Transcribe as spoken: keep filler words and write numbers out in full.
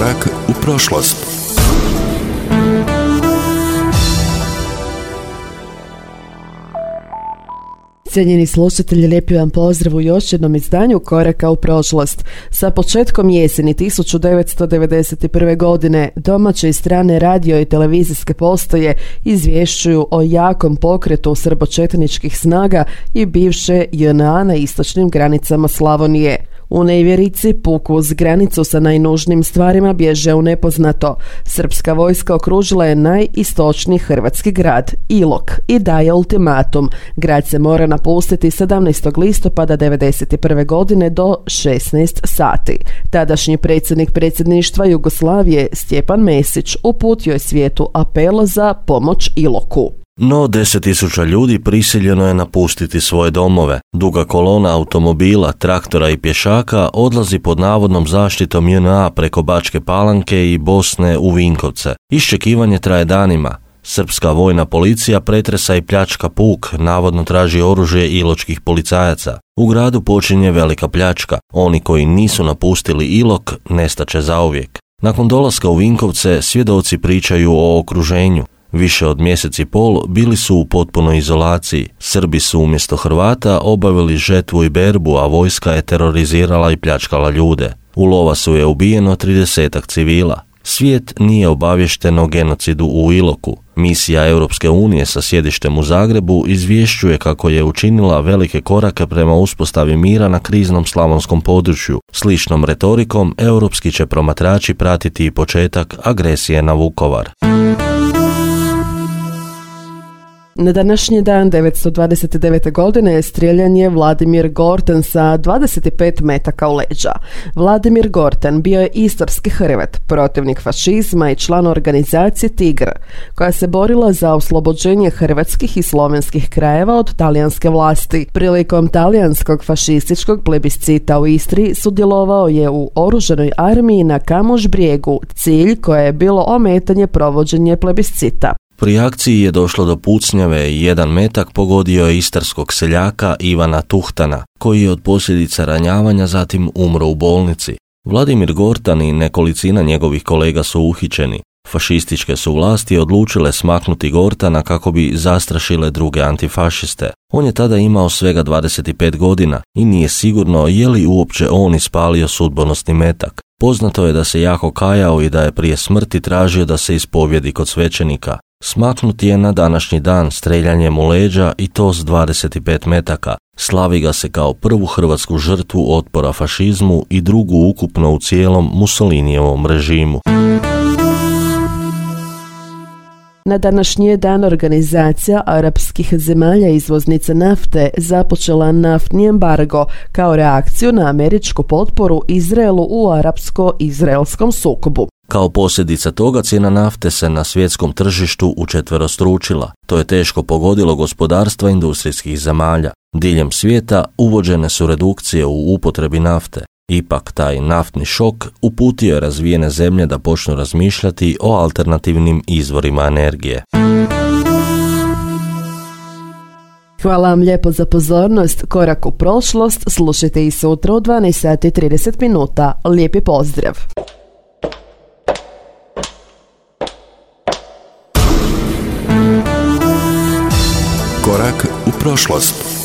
Korak u prošlost. Cijenjeni slušatelji, lijepi vam pozdrav u još jednom izdanju Koraka u prošlost. Sa početkom jeseni tisuću devetsto devedeset prve. godine domaće i strane radio i televizijske postaje izvješćuju o jakom pokretu srbočetničkih snaga i bivše J N A na istočnim granicama Slavonije. U nevjerici puku uz granicu sa najnužnijim stvarima bježe u nepoznato. Srpska vojska okružila je najistočniji hrvatski grad, Ilok, i daje ultimatum. Grad se mora napustiti sedamnaestog listopada devedeset prve. godine do šesnaest sati. Tadašnji predsjednik predsjedništva Jugoslavije Stjepan Mesić uputio je svijetu apel za pomoć Iloku. No deset tisuća ljudi prisiljeno je napustiti svoje domove. Duga kolona automobila, traktora i pješaka odlazi pod navodnom zaštitom J N A preko Bačke Palanke i Bosne u Vinkovce. Iščekivanje traje danima. Srpska vojna policija pretresa i pljačka puk, navodno traži oružje iločkih policajaca. U gradu počinje velika pljačka. Oni koji nisu napustili Ilok nestaće zauvijek. Nakon dolaska u Vinkovce svjedoci pričaju o okruženju. Više od mjesec i pol bili su u potpunoj izolaciji. Srbi su umjesto Hrvata obavili žetvu i berbu, a vojska je terorizirala i pljačkala ljude. U Lovasu je ubijeno tridesetak civila. Svijet nije obavješten o genocidu u Iloku. Misija Europske unije sa sjedištem u Zagrebu izvješćuje kako je učinila velike korake prema uspostavi mira na kriznom slavonskom području. Sličnom retorikom europski će promatrači pratiti i početak agresije na Vukovar. Na današnji dan devetsto dvadeset devete. godine strijeljan je Vladimir Gortan sa dvadeset pet metaka u leđa. Vladimir Gortan bio je istarski Hrvat, protivnik fašizma i član organizacije Tigr, koja se borila za oslobođenje hrvatskih i slovenskih krajeva od talijanske vlasti. Prilikom talijanskog fašističkog plebiscita u Istri sudjelovao je u oružanoj armiji na Kamoš Brijegu, cilj koje je bilo ometanje provođenja plebiscita. Pri akciji je došlo do pucnjave i jedan metak pogodio je istarskog seljaka Ivana Tuhtana, koji je od posljedica ranjavanja zatim umro u bolnici. Vladimir Gortan i nekolicina njegovih kolega su uhićeni. Fašističke su vlasti odlučile smaknuti Gortana kako bi zastrašile druge antifašiste. On je tada imao svega dvadeset pet godina i nije sigurno je li uopće on ispalio sudbonosni metak. Poznato je da se jako kajao i da je prije smrti tražio da se ispovjedi kod svećenika. Smaknut je na današnji dan streljanjem u leđa i to s dvadeset pet metaka. Slavi ga se kao prvu hrvatsku žrtvu otpora fašizmu i drugu ukupno u cijelom Mussolinijevom režimu. Na današnji dan organizacija arapskih zemalja izvoznica nafte započela naftni embargo kao reakciju na američku potporu Izraelu u arapsko-izraelskom sukobu. Kao posljedica toga cijena nafte se na svjetskom tržištu učetverostručila. To je teško pogodilo gospodarstva industrijskih zemalja. Diljem svijeta uvođene su redukcije u upotrebi nafte. Ipak taj naftni šok uputio je razvijene zemlje da počnu razmišljati o alternativnim izvorima energije. Hvala vam lijepo za pozornost. Korak u prošlost slušajte i sutra u dvanaest sati i trideset minuta. Lijepi pozdrav! Korak u prošlost.